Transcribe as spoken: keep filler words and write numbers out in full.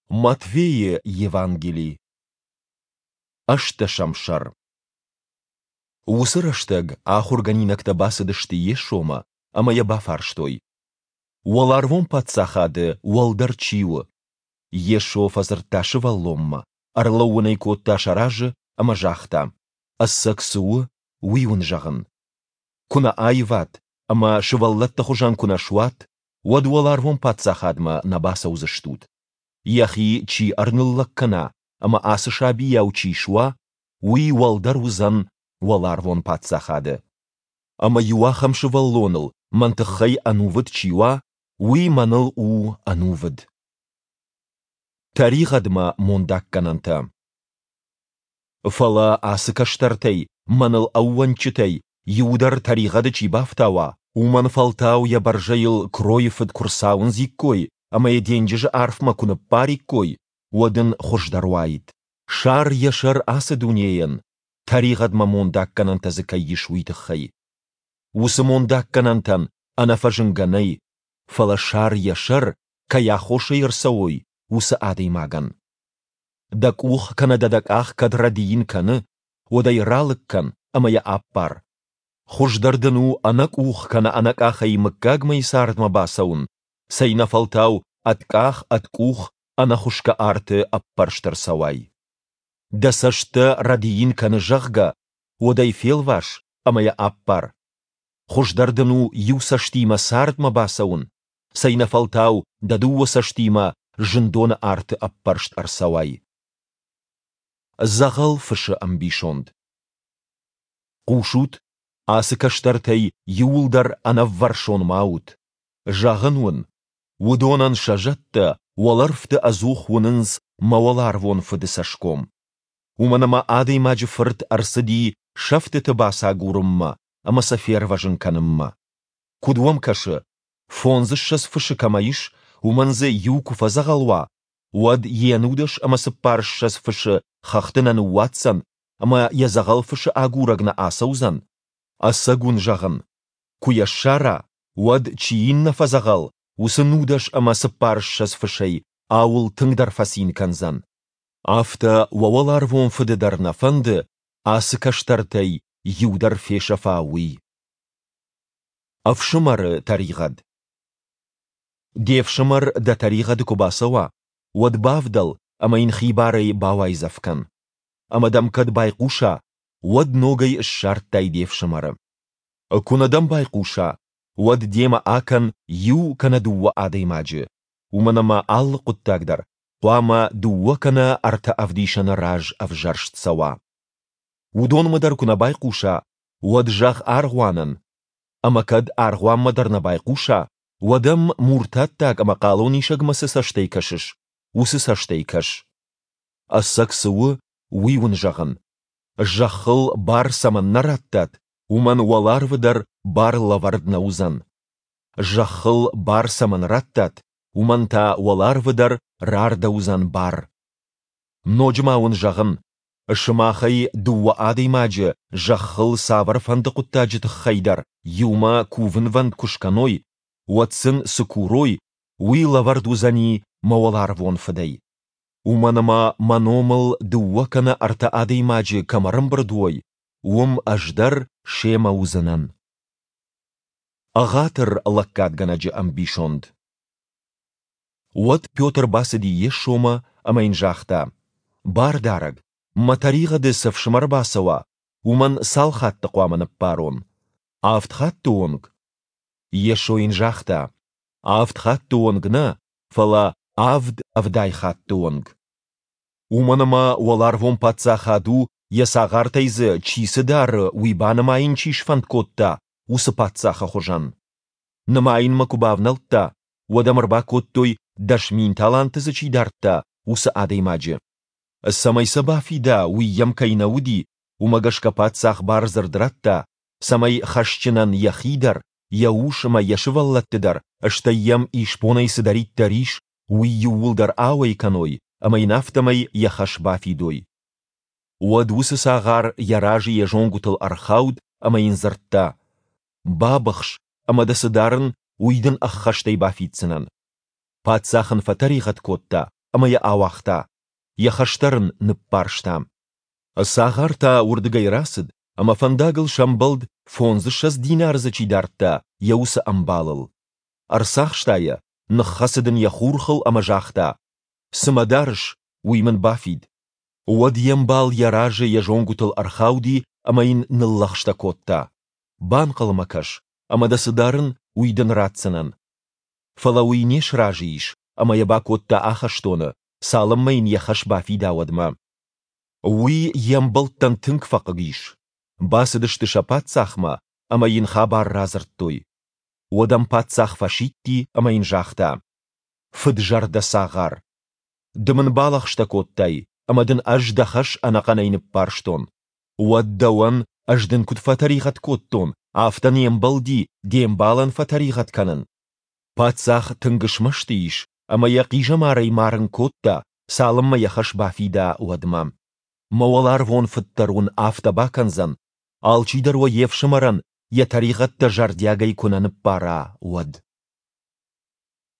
Матфейы Евангели, ӕстдӕсӕм сӕр. Уыцы рӕстӕг ахуыргӕнинӕгтӕ бацыдысты Йесомӕ ӕмӕ йӕ бафарстой: Уӕларвон Паддзахады уӕлдӕр чи у? Йесо фӕдзырдта сывӕллонмӕ, ӕрлӕууын ӕй кодта сӕ разы ӕмӕ загъта: Ӕцӕг цы у, уый уын зӕгъын: куы нӕ аиват ӕмӕ сывӕллӕтты хуызӕн куы нӕ суат, уӕд Уӕларвон Паддзахадмӕ нӕ бацӕудзыстут. Йӕхи чи ӕрныллӕг кӕна ӕмӕ ацы сабийау чи суа, уый уӕлдӕр уыдзӕн Уӕларвон Паддзахады. Ӕмӕ иу ахӕм сывӕллоныл мӕн тыххӕй ӕнувыд чи уа, уый мӕныл у ӕнувыд. Тӕригъӕдмӕ мондаггӕнӕнтӕ. Фӕлӕ ацы кӕстӕртӕй, мӕныл ӕууӕнчытӕй, иуы дӕр тӕригъӕды чи бафтауа, уымӕн фӕлтау йӕ бӕрзӕйыл кройы фыд куы рцауындзиккой ӕмӕ йӕ денджызы арфмӕ куы ныппариккой, уӕд ын хуыздӕр уаид. Сар йӕ сӕр ацы дунейӕн, тӕригъӕдмӕ мондаггӕнӕнтӕ дзы кӕй ис, уый тыххӕй. Уыцы мондаггӕнӕнтӕн ӕнӕфӕзынгӕ нӕй, фӕлӕ сар йӕ сӕр, кӕй аххосӕй ӕрцӕуой, уыцы адӕймагӕн. Дӕ къух кӕнӕ дӕ дӕ къах кӕд рӕдийын кӕны, уӕд ӕй ралыг кӕн ӕмӕ йӕ аппар. Хуыздӕр дын у ӕнӕ къух кӕнӕ ӕнӕ къахӕй мыггагмӕйы цардмӕ бацӕуын, цӕйнӕфӕлтау ӕд къах, ӕд къух ӕнӕхуысгӕ арты ӕппӕрст ӕрцӕуай. Дӕ цӕст дӕ рӕдийын кӕны, зӕгъгӕ, уӕд ӕй фелвас ӕмӕ йӕ аппар. Хуыздӕр дын у иу цӕстимӕ цардмӕ бацӕуын, цӕйнӕфӕлтау дӕ дыууӕ цӕстимӕ зындоны арты ӕппӕрст ӕрцӕуай. Дзӕгъӕл фысы ӕмбисонд. Хъусут, ацы кӕстӕртӕй иуыл дӕр ӕнӕввӕрсон ма ут. Зӕгъын уын, уыдонӕн сӕ зӕдтӕ уӕлӕрвты ӕдзух уынынц мӕ уӕларвон Фыды цӕсгом. Уымӕн ӕмӕ Адӕймаджы Фырт ӕрцыди сӕфтыты бацагурынмӕ ӕмӕ сӕ фервӕзын кӕнынмӕ. Куыд уӕм кӕсы, фондзыссӕдз фысы кӕмӕ ис, уымӕн дзы иу куы фӕдзӕгъӕл уа, уӕд йе нудӕс ӕмӕ цыппарыссӕдз фысы хӕхты нӕ ныууадздзӕн ӕмӕ йӕ дзӕгъӕл фысы агурӕг нӕ ацӕудзӕн? Ӕцӕг уын зӕгъын, куы йӕ ссара, уӕд, чи йын нӕ фӕдзӕгъӕл, уыцы нудӕс ӕмӕ цыппарыссӕдз фысӕй ауыл тынгдӕр фӕцин кӕндзӕн. Афтӕ уӕ уӕларвон Фыды дӕр нӕ фӕнды, ацы кӕстӕртӕй иу дӕр фесӕфа, уый. Ӕфсымӕры тӕригъӕд. Де фсымӕр дӕ тӕригъӕды куы бацӕуа, уӕд бавдӕл ӕмӕ йын хибарӕй бауайдзӕф кӕн. Ӕмӕ дӕм кӕд байхъуса, уӕд ногӕй ссардтай де фсымӕры. Куы нӕ дӕм байхъуса, уӕд демӕ акӕн иу кӕнӕ дыууӕ адӕймаджы, уымӕн ӕмӕ алы хъуыддаг дӕр хъуамӕ дыууӕ кӕнӕ ӕртӕ ӕвдисӕны раз ӕвзӕрст цӕуа. Уыдонмӕ дӕр куы нӕ байхъуса, уӕд зӕгъ аргъуанӕн. Ӕмӕ кӕд аргъуанмӕ дӕр нӕ байхъуса, уӕд ӕм муртаттаг ӕмӕ хъалонисӕгмӕ цы цӕстӕй кӕсыс, уыцы цӕстӕй кӕс. Ӕцӕг цы у, уый уын зӕгъын: зӕххыл бар цӕмӕн нӕ радтат, уымӕн уӕларвы дӕр бар лӕвӕрд нӕ уыдзӕн. Зӕххыл бар цӕмӕн радтат, уымӕн та уӕларвы дӕр рардӕуыдзӕн бар. Ноджы ма уын зӕгъын, сымахӕй дыууӕ адӕймаджы зӕххыл цавӕрфӕнды хъуыддаджы тыххӕй дӕр иумӕ кувынвӕнд куы скӕной, уӕд сын цы курой, уый лӕвӕрд уыдзӕни мӕ уӕларвон Фыдӕй. Уымӕн ӕмӕ мӕ номыл дыууӕ кӕнӕ ӕртӕ адӕймаджы кӕм ӕрӕмбырд уой, уым ӕз дӕр семӕ уыдзынӕн. Ӕгъатыр лӕггадгӕнӕджы ӕмбисонд. Уӕд Петр бацыди Йесомӕ ӕмӕ йын загъта: Бардарӕг, мӕ тӕригъӕды цы фсымӕр бацӕуа, уымӕн цал хатты хъуамӕ ныббарон? Авд хатты онг? Йесо йын загъта: Авд хатты онг нӕ, фӕлӕ авд ӕвдай хатты онг. Уымӕн ӕмӕ уӕларвон паддзахад у, йӕ цагъартӕй дзы чи цы дары, уый банымайын чи сфӕнд кодта, уыцы паддзахы хуызӕн. Нымайынмӕ куы бавнӕлдта, уӕд ӕм ӕрбакодтой, дӕс мин таланты дзы чи дардта, уыцы адӕймаджы. Цӕмӕй сӕ бафида, уый йӕм кӕй нӕ уыди, уымӕ гӕсгӕ паддзах бардзырд радта, цӕмӕй хӕсджынӕн йӕхи дӕр, йӕ ус ӕмӕ йӕ сывӕллӕтты дӕр, стӕй йӕм исбонӕй цыдӕриддӕр ис, уый иууылдӕр ауӕй кӕной ӕмӕ йын афтӕмӕй йӕ хӕс бафидой. Уӕд уыцы цагъар йӕ разы йӕ зонгуытыл ӕрхауд ӕмӕ йын дзырдта: Бабыхс, ӕмӕ дӕ цы дарын, уый дын ӕххӕстӕй бафиддзынӕн. Паддзах ын фӕтӕригъӕд кодта ӕмӕ йӕ ауагъта, йӕ хӕс дӕр ын ныббарста. Цагъар та уырдыгӕй рацыд ӕмӕ фӕндагыл сӕмбӕлд, фондзыссӕдз динары дзы чи дардта, йӕ уыцы ӕмбалыл. Ӕрцахста йӕ, ныххӕцыд ын йӕ хурхыл ӕмӕ загъта, Цы мӕ дарыс, уый мын бафид. Уӕд йе мбал йӕ разы йӕ зонгуытыл ӕрхауди ӕмӕ йын ныллӕгъстӕ кодта, Банхъӕлмӕ кӕс, ӕмӕ дӕ цы дарын, уый дын ратдзынӕн. Фӕлӕ уый не сразы ис ӕмӕ йӕ бакодта ахӕстоны, цалынмӕ йын йӕ хӕс бафида, уӕдмӕ. Уый йе мбӕлттӕн тынг фӕхъыг ис. Бацыдысты сӕ паддзахмӕ ӕмӕ йын хабар радзырдтой. Уӕд ӕм паддзах фӕсидти ӕмӕ йын загъта: Фыд-зӕрдӕ цагъар! Ды мын балӕгъстӕ кодтай, ӕмӕ дын ӕз дӕ хӕс ӕнӕхъӕнӕй ныббарстон. Уӕд дӕуӕн, ӕз дын куыд фӕтӕригъӕд кодтон, афтӕ не мбӕлди де мбалӕн фӕтӕригъӕд кӕнын? Паддзах тынг смӕсты ис ӕмӕ йӕ хъизӕмарӕй марын кодта, цалынмӕ йӕ хӕс бафида, уӕдмӕ. Мӕ уӕларвон Фыд дӕр уын афтӕ бакӕндзӕн, алчидӕр уӕ йе фсымӕрӕн йӕ тӕригъӕдтӕ зӕрдиагӕй куы нӕ ныббара, уӕд.